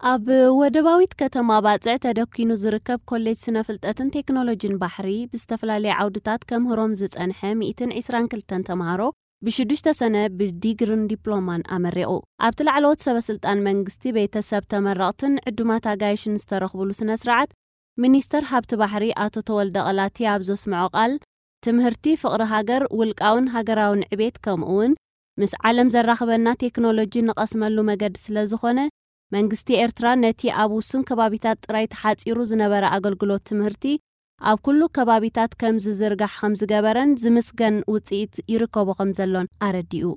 ኣብ ወደባዊት ከተማ ባጽዕ ተደኪኑ ዝርከብ ኮሌጅ ስነ ፍልጠትን ቴክኖሎጂን ባሕሪ ብዝተፈላለየ ዓውድታት ከምህሮም ዝጸንሐ ሚእትን ዕስራን ክልተን ተምሃሮ ብሽዱሽተ ሰነ ብዲግርን ዲፕሎማን ኣመሪቑ። ኣብቲ ላዕለዎት ሰበ ስልጣን መንግስቲ፣ ቤተሰብ ተመረቕትን ዕዱማት ኣጋይሽን ዝተረኽብሉ ስነ ስርዓት፣ ሚኒስተር ሃብቲ ባሕሪ ኣቶ ተወልደ ቐላቲ ኣብ ዘስምዖ ቃል፣ ትምህርቲ ፍቕሪ ሃገር፣ ውልቃውን ሃገራውን ዕቤት፣ ከምኡ እውን ምስ ዓለም ዘራኽበና ቴክኖሎጂ ንቐስመሉ መገዲ ስለ ዝኾነ፣ መንግስቲ ኤርትራ ነቲ ኣብ ውሱን ከባቢታት ጥራይ ተሓጺሩ ዝነበረ ኣገልግሎት ትምህርቲ ኣብ ኩሉ ከባቢታት ከም ዝዝርጋሕ ከም ዝገበረን ዝምስገን ውጽኢት ይርከቦ ከም ዘሎን ኣረዲኡ።